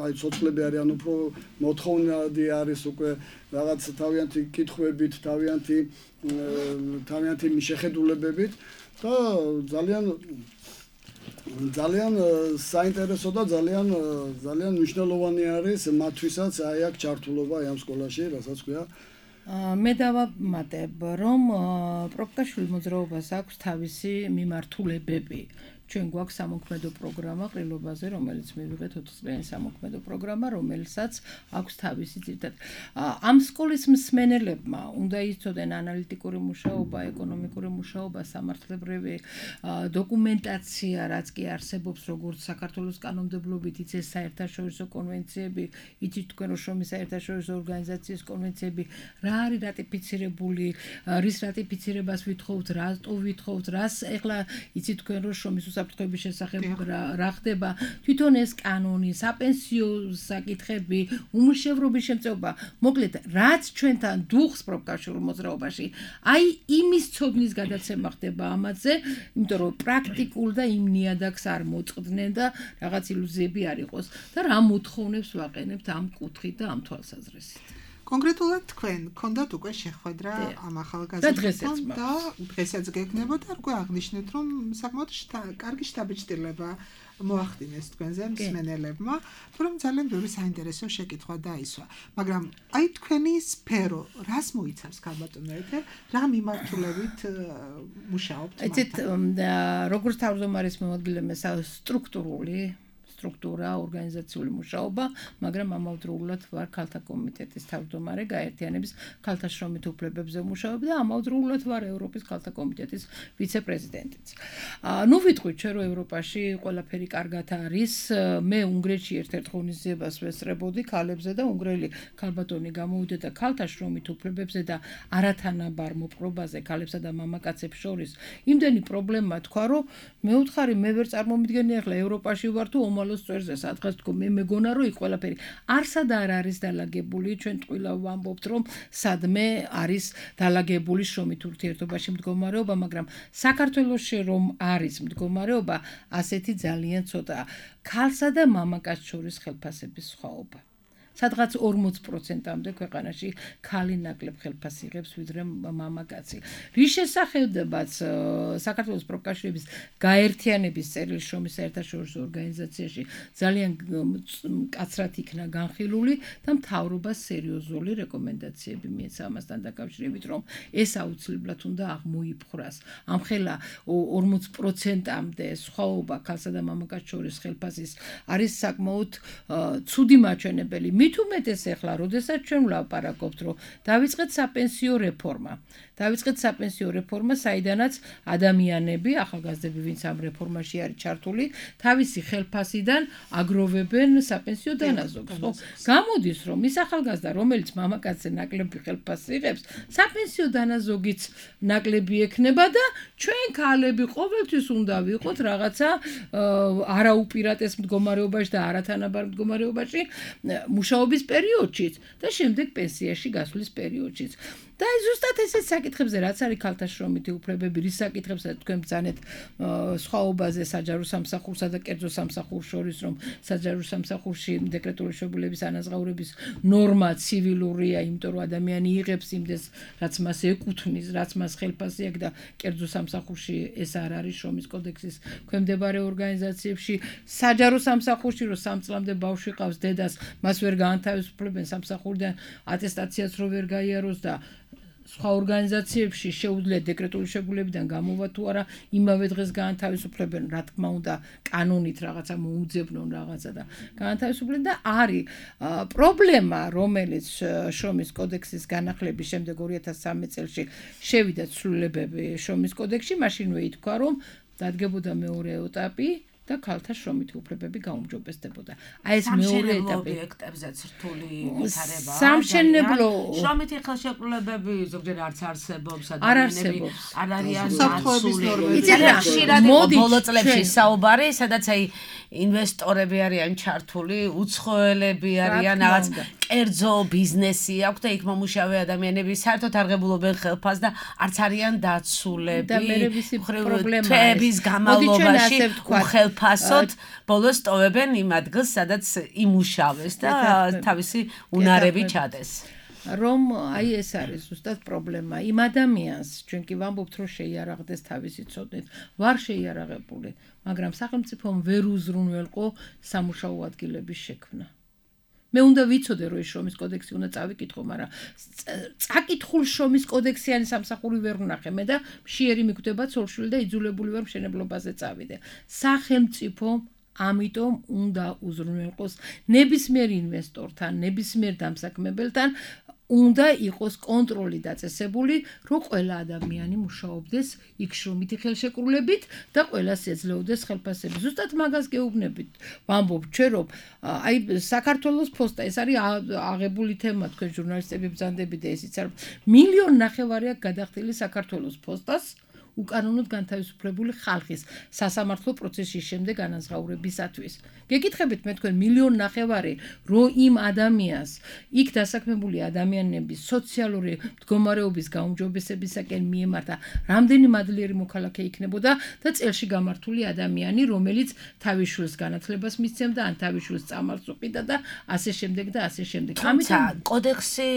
აი ცოცხლები არიან, უფრო მოთხოვნადი არის უკვე რაღაც თავიანთი კითხვებით, თავიანთი შეხედულებებით და ძალიან საინტერესო და ძალიან მნიშვნელოვანი არის მათთვისაც აი აქ ჩართულობა ამ სკოლაში, რასაც ქვია. მე დავამატებ, რომ პროფკავშირულ მოძრაობას აქვს თავისი მიმართულებები. ჩვენ გვაქვს სამოქმედო პროგრამა ყრილობაზე, რომელიც მივიღეთ 4 წლიანი სამოქმედო პროგრამა, რომელსაც აქვს თავისი ძირითადად. ამ სკოლის მსმენელებმა უნდა იცოდნენ ანალიტიკური მუშაობა, ეკონომიკური მუშაობა, სამართლებრივი დოკუმენტაცია, რაც კი არსებობს როგორც საქართველოს კანონმდებლობით, იცის საერთაშორისო კონვენციები, იცით თქვენ რომ შრომის საერთაშორისო ორგანიზაციის კონვენციები, რა არის რატიფიცირებული, რის რატიფიცირებას ვითხოვთ, რატო ვითხოვთ, რას ეხლა იცით თქვენ რომ შრომის საფრთხების შესახებ რა ხდება, თვითონ ეს კანონი, საპენსიო საკითხები, უმუშევრობის შემწეობა, მოკლედ, რაც ჩვენთან დუხს პროფკავშირულ მოძრაობაში, აი იმის ცოდნის გადაცემა ხდება ამაზე, იმიტომ რომ პრაქტიკულ და იმ ნიადაგს არ მოწყდნენ და რაღაც ილუზიები არ იყოს და რა მოთხოვნებს ვაყენებთ ამ კუთხით და ამ თვალსაზრისით. კონკრეტულად თქვენ გქონდათ უკვე შეხვედრა ამ ახალგაზრდებთან და დღესაც გეკნებოდა, უკვე აღნიშნეთ, რომ საკმაოდ კარგი შთაბეჭდილება მოახდინეს თქვენზე მსმენელებმა, რომ ძალიან ბევრი საინტერესო შეკითხვა დაისვა. მაგრამ აი თქვენი სფერო, რას მოიცავს ქალბატონო ეთერ, რა მიმართულებით მუშაობთ? იცით, როგორც თავმჯდომარის მოადგილე სტრუქტურა, ორგანიზაციული მუშაობა, მაგრამ ამავდროულად ვარ ქალთა კომიტეტის თავმჯდომარე, გაერთიანების ქალთა შრომით უფლებებზე მუშაობ და ამავდროულად ვარ ევროპის ქალთა კომიტეტის ვიცე-პრეზიდენტიც. ნუ ვიტყვით ჩვენ რომ ევროპაში ყველაფერი კარგად არის, მე უნგრეთში ერთ-ერთ ღონისძიებას ვესწრებოდი ქალებზე და უნგრელი ქალბატონი გამოვიდა და ქალთა შრომით უფლებებზე და არათანაბარ მოპყრობაზე ქალებსა და მამაკაცებს შორის იმდენი პრობლემა თქვა, რომ მე ვთხარი, მე ვერ წარმომიდგენი ახლა ევროპაში ვარ თუ ომალო საქართველოს წვერზე სადღაც თქო მე მეგონა რომ იქ ყველაფერი არსად არ არის დალაგებული ჩვენ ტყუილა ვამბობთ რომ სადმე არის დალაგებული შრომით ურთიერთობაში მდგომარეობა მაგრამ საქართველოში რომ არის მდგომარეობა ასეთი ძალიან ცოტაა ქალსა და მამაკაცს შორის ხელფასების სხვაობა სადღაც 40%-მდე ქვეყანაში ქალი ნაკლებ ხელფასს იღებს ვიდრე მამაკაცი. რის შესახედებაც საქართველოს პროფკავშირების გაერთიანების წერილი შრომის საერთაშორისო ორგანიზაციაში ძალიან მკაცრად იქნა განხილული და მთავრობას სერიოზული რეკომენდაციები მიეცა ამასთან დაკავშირებით, რომ ეს აუცილებლად უნდა აღმოიფხვრას. ამხელა 40%-მდე სხვაობა ქალსა და მამაკაცს შორის ხელფასის არის საკმაოდ ცუდი მაჩვენებელი. მით უმეტეს ახლა, როდესაც ჩვენ ვლაპარაკობთ, რომ დავიწყეთ საპენსიო რეფორმა, საიდანაც ადამიანები, ახალგაზრდები, ვინც ამ რეფორმაში არის ჩართული, თავისი ხელფასიდან აგროვებენ საპენსიო დანაზოგს. ხო, გამოდის, რომ ის ახალგაზრდა, რომელიც მამაკაცზე ნაკლები ხელფასს იღებს, საპენსიო დანაზოგიც ნაკლები ექნება და ჩვენ ქალები ყოველთვის უნდა ვიყოთ რაღაცა არაუპირატეს მდგომარეობაში და არათანაბარ მდგომარეობაში მუშაობის პერიოდშიც და შემდეგ პენსიაში გასვლის პერიოდშიც. და ზუსტად ესეც საკითხებზე რაც არის ქალთა შრომითი უფლებები, რის საკითხებსაც თქვენ ბრძანეთ სხვაობაზე საჯარო სამსახურსა და კერძო სამსახურს შორის, რომ საჯარო სამსახურში დეკრეტული მშობლების ანაზღაურების ნორმა ცივილურია, იმიტომ რომ ადამიანი იღებს იმდეს, რაც მას ეკუთვნის, რაც მას ხელფასი აქვს და კერძო სამსახურში ეს არ არის შრომის კოდექსის ქვემდებარე ორგანიზაციებში. საჯარო სამსახურში რომ 3 წლამდე ბავშვი ყავს დედას, მას ვერ გაანთავისუფლებენ სამსახურიდან ატესტაციაც რო ვერ გაიაროს და სხვა ორგანიზაციებში შეუძლია დეკრეტული შეგულებიდან გამოვა თუ არა იმავე დღეს გაანთავისუფლებენ, რა თქმა უნდა, კანონით რაღაცა მოუძებნონ რაღაცა და გაანთავისუფლენ და არის პრობლემა, რომელიც შრომის კოდექსის განახლების შემდეგ 2013 წელს შევიდა ცვლილებები შრომის კოდექსში, მაშინვე ითქვა, რომ დადგებოდა მეორე ეტაპი და ქალთა შრომითი უფლებები გაუმჯობესდებოდა. აი ეს მეორე ეტაპი ობიექტებზეც რთული ვითარებაა. სამშენებლო შრომითი ხელშეკრულებები ზოგჯერ არც არსებობს, არ არსებობს. არ არიან საფრთხეების ნორმები. ხშირად ბოლო წლებში საუბარი, სადაც აი ინვესტორები არიან ჩართული, უცხოელები არიან, რაღაც კერძო ბიზნესი აქვს და იქ მომუშავე ადამიანები საერთოდ არ ღებულობენ ხელფასს და არც არიან დაცულები. და მე ვიცი პრობლემაა. თვეების განმავლობაში ხელფასოდ ბოლოს ტოვებენ იმ ადგილს, სადაც იმუშავეს და თავისი უნარები ჩადეს. რომ აი ეს არის ზუსტად პრობლემა. იმ ადამიანს ჩვენ კი ვამბობთ, რომ შეიარაღდეს თავისი ცოდნით, ვარ შეიარაღებული, მაგრამ სახელმწიფომ ვერ უზრუნველყო სამუშაო ადგილების შექმნა. მე უნდა ვიცოდე, რომ ეს შრომის კოდექსი უნდა წავიკითხო, მაგრამ წაკითხულ შრომის კოდექსიანი სამსახური ვერ ვნახე მე და მშიერი მიგვდება ცოლშვილი და იძულებული ვარ მშენებლობაზე წავიდე. სახელმწიფო ამიტომ უნდა უზრუნველყოს ნებისმიერ ინვესტორთან, ნებისმიერ დამსაქმებელთან უნდა იყოს კონტროლი დაწესებული, რომ ყველა ადამიანი მუშაობდეს იქ შრომითი ხელშეკრულებით და ყველას ეძლეოდეს ხელფასები. ზუსტად მაგას გეუბნებით. ვამბობ ჩვენ რომ აი საქართველოს ფოსტა ეს არის აღებული თემა, თქვენ ჟურნალისტები ბრძანდებით და ესიც არ 1.5 მილიონი აქვს გადახდილი საქართველოს ფოსტას უკანონოდ განთავისუფლებული ხალხის სასამართლო პროცესის შემდეგ ანაზღაურებისათვის. გეკითხებით მე თქვენ 1.5 მილიონი რომ იმ ადამიანს იქ დასაქმებული ადამიანების სოციალური მდგომარეობის გაუმჯობესებისაკენ მიემართა რამდენი მადლიერი მოქალაქე იქნებოდა და წელში გამართული ადამიანი, რომელიც თავის შვილს განათლებას მისცემდა, ან თავის შვილს წამალს უყიდა და ასე შემდეგ და ასე შემდეგ. ამიტომ კოდექსი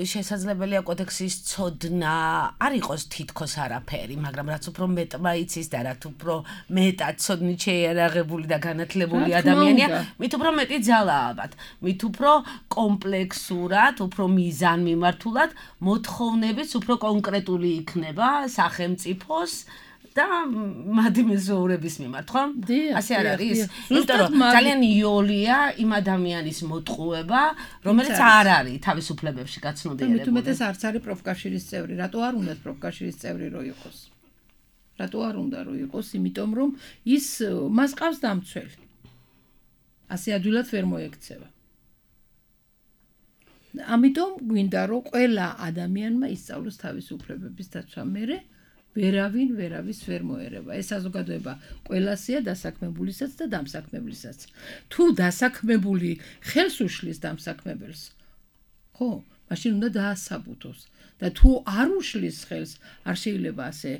შესაძლებელია კოდექსის ცოდნა არ იყოს თითქოს არაფერი, მაგრამ რაც უფრო მეტმა იცის და რაც უფრო მეტად ცოდნით შეიარაღებული და განათლებული ადამიანია, მით უფრო მეტი ძალა ალბათ, მით უფრო კომპლექსურად, უფრო მიზანმიმართულად მოთხოვნებიც უფრო კონკრეტული იქნება სახელმწიფოს და მადი მეზოურების მიმართ, ხო? ასე არ არის? იმიტომ რომ ძალიან იოლია იმ ადამიანის მოტყუება, რომელიც არ არის თავისუფლებებში გაცნობიერებული. მით უმეტეს არც არის პროფკავშირის წევრი. რატო არ უნდა პროფკავშირის წევრი რო იყოს? რატო არ უნდა რო იყოს? იმიტომ რომ ის მას ყავს დამცველი. ასე ადვილად ვერ მოექცევა. ამიტომ გვინდა რომ ყველა ადამიანმა ისწავლოს თავისი უფლებების დაცვა მერე ვერავის ვერ მოერება. ეს საზოგადოება ყველასია დასაქმებულისაც და დამსაქმებლისაც. თუ დასაქმებული ხელს უშლის დამსაქმებელს, ხო, მაშინ უნდა დაასაბუთოს და თუ არ უშლის ხელს, არ შეიძლება ასე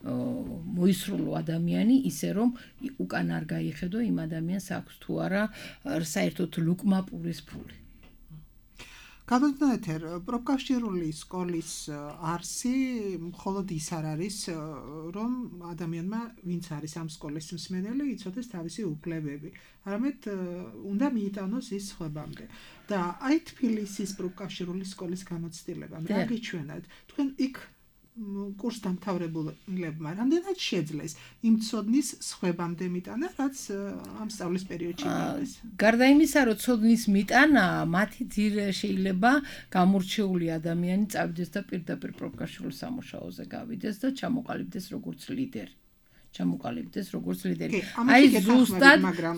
მოისრულო ადამიანი ისე რომ უკან არ გაიხედო იმ ადამიანს აქვს თუ არა საერთოდ ლუკმა პურის ფული. გადავიდეთ ეთერ პროფკავშირული სკოლის არსი მხოლოდ ის არ არის რომ ადამიანმა ვინც არის ამ სკოლის მსმენელი იცოდეს თავისი უფლებები არამედ უნდა მიიტანოს ის სხვებამდე და აი თბილისის პროფკავშირული სკოლის გამოცდილება რა გიჩვენათ თქვენ იქ კურს დამთავრებულებმა რამდენად შეძლეს იმ ცოდნის სხვებამდე მიტანა რაც ამ სწავლის პერიოდში მიიღეს გარდა იმისა რომ ცოდნის მიტანა მათი ძირ შეიძლება გამორჩეული ადამიანი წავიდეს და პირდაპირ პროფკავშირულ სამუშაოზე გავიდეს და ჩამოყალიბდეს როგორც ლიდერი აი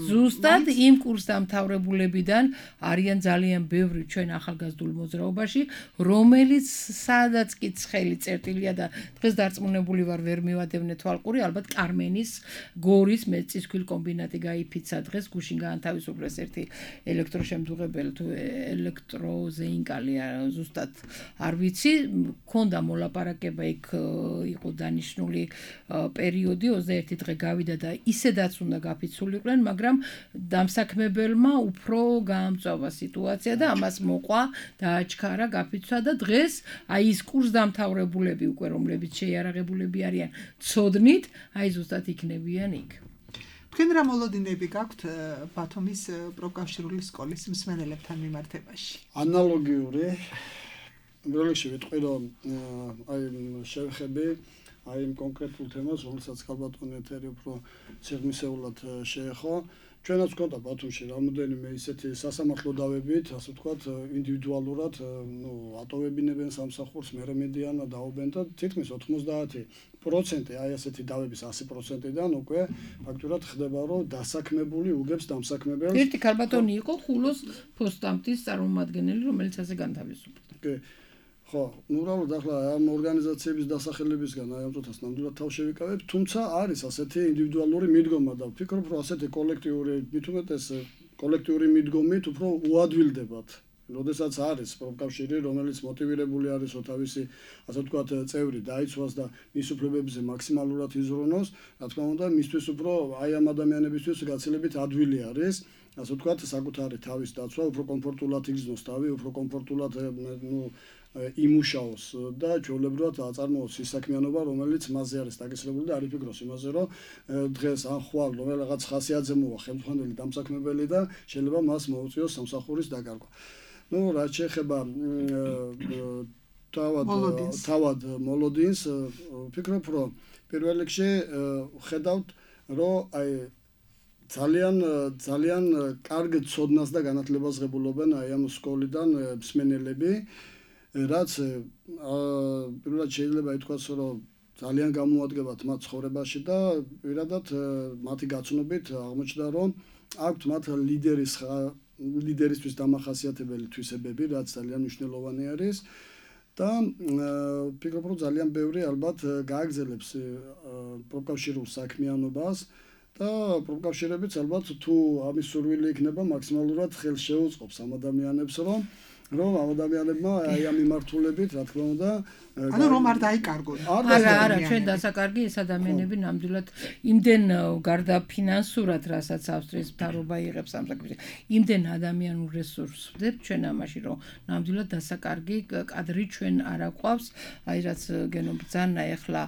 ზუსტად იმ კურს დამთავრებულებიდან არიან ძალიან ბევრი ჩვენ ახალგაზრდულ მოძრაობაში რომელიც სადაც კი ცხელი წერტილია და დღეს დარწმუნებული ვარ ვერ მივადევნე თვალყური ალბათ კარმენის გორის მეწისქვილ კომბინატი გაიფიცა დღეს გუშინ გაანთავისუფლეს ერთი ელექტროშემძუღებელი თუ ელექტროზეინკალი ზუსტად არ ვიცი მქონდა მოლაპარაკება იქ იყო დანიშნული პერიოდი 21 დღე გავიდა და ისედაც უნდა გაფიცულიყვნენ, მაგრამ დამსაქმებელმა უფრო გაამწვავა სიტუაცია და ამას მოყვა, დააჩქარა, გაფიცვა და დღეს აი ის კურს დამთავრებულები უკვე რომლებიც შეიარაღებულები არიან ცოდნით, აი ზუსტად იქნებიან იქ. თქვენ რა მოლოდინები გაქვთ ბათუმის პროფკავშირული სკოლის მსმენელებთან მიმართებაში? ანალოგიური როლში ვიტყვი რომ აი შევხები აი იმ კონკრეტულ თემას, რომელსაც ქალბატონი ეთერი უფრო სიღრმისეულად შეეხო. ჩვენაც გვქონდა ბათუმში რამოდენიმე ისეთი სასამართლო დავებით, ასე ვთქვათ, ინდივიდუალურად, ატოვებინებენ სამსახურს, მერე მედიანა დაობენ და თითქმის 90% აი ასეთი დავების 100%-დან უკვე ფაქტურად ხდება, რომ დასაქმებული უგებს დამსაქმებელს. ერთი ქალბატონი იყო ხულოს ფოსტამტის წარმომადგენელი, რომელიც ასე განთავისუფლდა. ხო, უბრალოდ ახლა ამ ორგანიზაციების დასახელებისგან აი ამ წუთას ნამდვილად თავ შევიკავებ, თუმცა არის ასეთი ინდივიდუალური მიდგომა და ვფიქრობ, რომ ასეთი კოლექტიური მიდგომით უფრო უადვილდებათ. როდესაც არის პროფკავშირი, რომელიც მოტივირებული არის, რომ თავისი, ასე ვთქვათ, წევრი დაიცვას და მის უფლებებზე მაქსიმალურად იზრუნოს, რა თქმა უნდა, მისთვის უფრო აი ამ ადამიანებისთვის გაცილებით ადვილი არის. ასე ვთქვათ, საკუთარი თავის დაცვა, უფრო კომფორტულად იგრძნოს თავი, უფრო კომფორტულად იმუშაოს და ჩვეულებრივად აწარმოოს ის საქმიანობა, რომელიც მასზე არის დაკისრებული და არ იფიქროს იმაზე, რომ დღეს ან ხვალ რაღაც ხასიათზე მოვა ხელმძღვანელი დამსაქმებელი და შეიძლება მას მოუწიოს სამსახურის დაკარგვა. რაც შეეხება თავად მოლოდინს, ვფიქრობ, რომ პირველ რიგში ხედავთ, რომ აი ძალიან კარგ ცოდნას და განათლებას ღებულობენ აი ამ სკოლიდან მსმენელები. რაც პირველად შეიძლება ითქვას, რომ ძალიან გამოადგებათ მათ ცხოვრებაში და პირადად მათი გაცნობით აღმოჩნდა, რომ აქვთ მათ ლიდერისთვის დამახასიათებელი თვისებები, რაც ძალიან მნიშვნელოვანი არის და ვფიქრობ, რომ ძალიან ბევრი ალბათ გააგრძელებს პროფკავშირულ საქმიანობას და პროფკავშირებიც ალბათ თუ ამის სურვილი იქნება მაქსიმალურად ხელს შეუწყობს ამ ადამიანებს, რომ ამ ადამიანებმა აი ამ მიმართულებით, რა თქმა უნდა, ანუ რომ არ დაიკარგონ. არა, ჩვენ დასაკარგი ეს ადამიანები ნამდვილად იმდენ გარდა ფინანსურად, რასაც ავსტრიის მთავრობა იღებს ამ საქმეში, იმდენ ადამიანურ რესურსს ვდებთ ჩვენ ამაში, რომ ნამდვილად დასაკარგი კადრი ჩვენ არ აყვავს, აი რაც გენობძანა ეხლა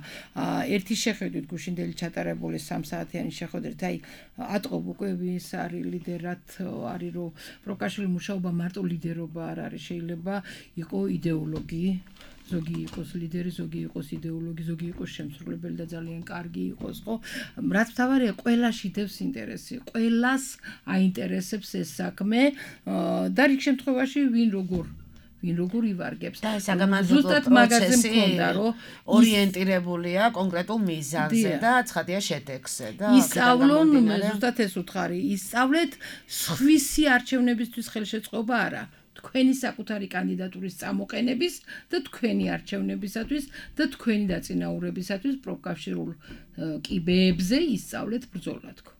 ერთი შეხედვით გუშინდელი ჩატარებული 3 საათიანი შეხვედრით, აი ატყობ უკვე ვის არის ლიდერად, არის რომ პროფკავშირული მუშაობა მარტო ლიდერობა არ არის, შეიძლება იყო იდეოლოგი ზოგი იყოს ლიდერი, ზოგი იყოს იდეოლოგი, ზოგი იყოს შემსრულებელი და ძალიან კარგი იყოს, ხო? რაც მთავარია, ყველაში დევს ინტერესი, ყველას აინტერესებს ეს საქმე და რიგ შემთხვევაში ვინ როგორ ივარგებს. და საგამოძიებო პროცესი ორიენტირებულია კონკრეტულ მიზანზე და ცხადია შედეგზე და ისწავლონ, ზუსტად ეს უთხარი, ისწავლეთ სხვისი არჩევნებისთვის ხელშეწყობა არა. თქვენი საკუთარი კანდიდატურის წამოყენების და თქვენი არჩევნებისათვის და თქვენი დაწინაურებისათვის პროფკავშირულ კიბეებზე ისწავლეთ ბრძოლა თქო.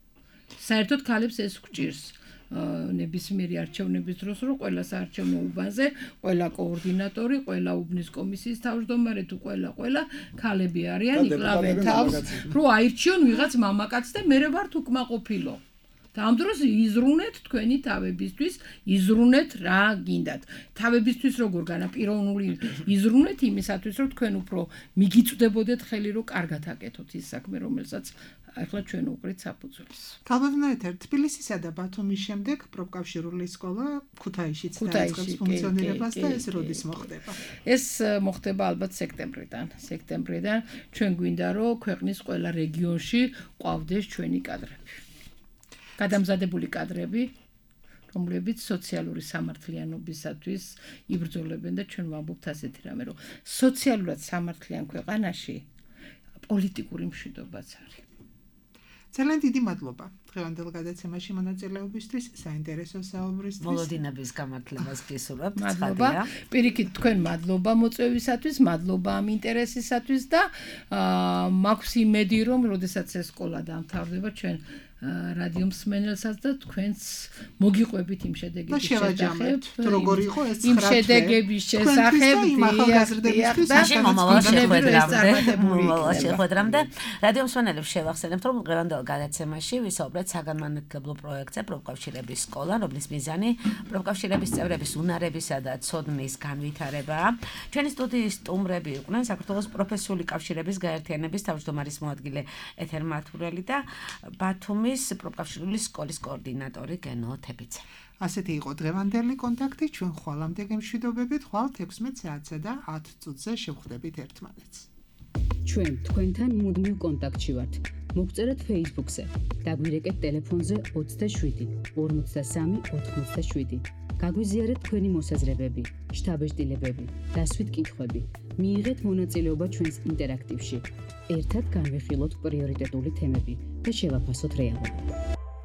საერთოდ ქალებს ეს გვჭირს ნებისმიერი არჩევნების დროს, რომ ყველა საარჩევნო უბანზე, ყველა კოორდინატორი, ყველა უბნის კომისიის თავმჯდომარე თუ ყველა ქალები არიან, იკლავენ თავს, რომ აირჩიონ ვიღაც მამაკაცს და მე ვართ უკმაყოფილო. და ამ დროს იზრუნეთ თქვენი თავებისთვის, იზრუნეთ რა გინდათ. თავებისთვის როგორ განაპირობებული იზრუნეთ იმისათვის, რომ თქვენ უფრო მიგიწვდებოდეთ ხელი, რომ კარგად აკეთოთ ის საქმე, რომელსაც ახლა ჩვენ უყრით საფუძველს. თავებნაირად თბილისისა და ბათუმის შემდეგ პროფკავშირული სკოლა ქუთაისშიც დაიწყებს ფუნქციონირებას და ეს როდის მოხდება? ეს მოხდება ალბათ სექტემბრიდან. ჩვენ გვინდა რომ ქვეყნის ყველა რეგიონში ყვავდეს ჩვენი კადრები. გადამზადებული კადრები, რომლებიც სოციალური სამართლიანობისათვის იბრძოლებენ და ჩვენ ვამბობთ ასეთი რამე, რომ სოციალურად სამართლიან ქვეყანაში პოლიტიკური მშვიდობაც არის. ძალიან დიდი მადლობა დღევანდელ გადაცემაში მონაწილეობისთვის, საინტერესო საუბრისთვის. მოლოდინების გამართლებას გისურვებთ. მადლობა. პირიქით თქვენ მადლობა მოწვევისათვის, მადლობა ამ ინტერესისათვის და მაქვს იმედი, რომ როდესაც ეს სკოლა დამთავრდება, ჩვენ რადიო მსმენელსაც და თქვენს მოგიყვებით იმ შედეგების შესახებ. როგორ იყო ეს 9 იმ შედეგების შესახებ შეხვედრამდე რადიო მსმენელებს შევახსენებთ, რომ დღევანდელ გადაცემაში ვისაუბრეთ საგანმანათლებლო პროექტზე პროფკავშირების სკოლა, რომლის მიზანი პროფკავშირების წევრების უნარებისა და ცოდნის განვითარებაა. ჩვენი სტუდიის სტუმრები იყვნენ საქართველოს პროფესიული კავშირების გაერთიანების თავმჯდომარის მოადგილე ეთერ მათურელი და ბათუმის პროფკავშირული სკოლის კოორდინატორი გენო თებიძე. ასეთი იყო დღევანდელი კონტაქტი, ჩვენ ხვალამდე გემშვიდობებით, ხვალ 16 საათსა და 10 წუთზე შევხვდებით ერთმანეთს. ჩვენ თქვენთან მუდმივ კონტაქტში ვართ. მოგწერეთ Facebook-ზე, დაგვირეკეთ ტელეფონზე 27 53 87. გაგვიზიარეთ თქვენი მოსაზრებები, შთაბეჭდილებები, დასვით კითხვები. მიიღეთ მონაწილეობა ჩვენს ინტერაქტივში. ერთად განვიხილოთ პრიორიტეტული თემები და შევაფასოთ რეალობა.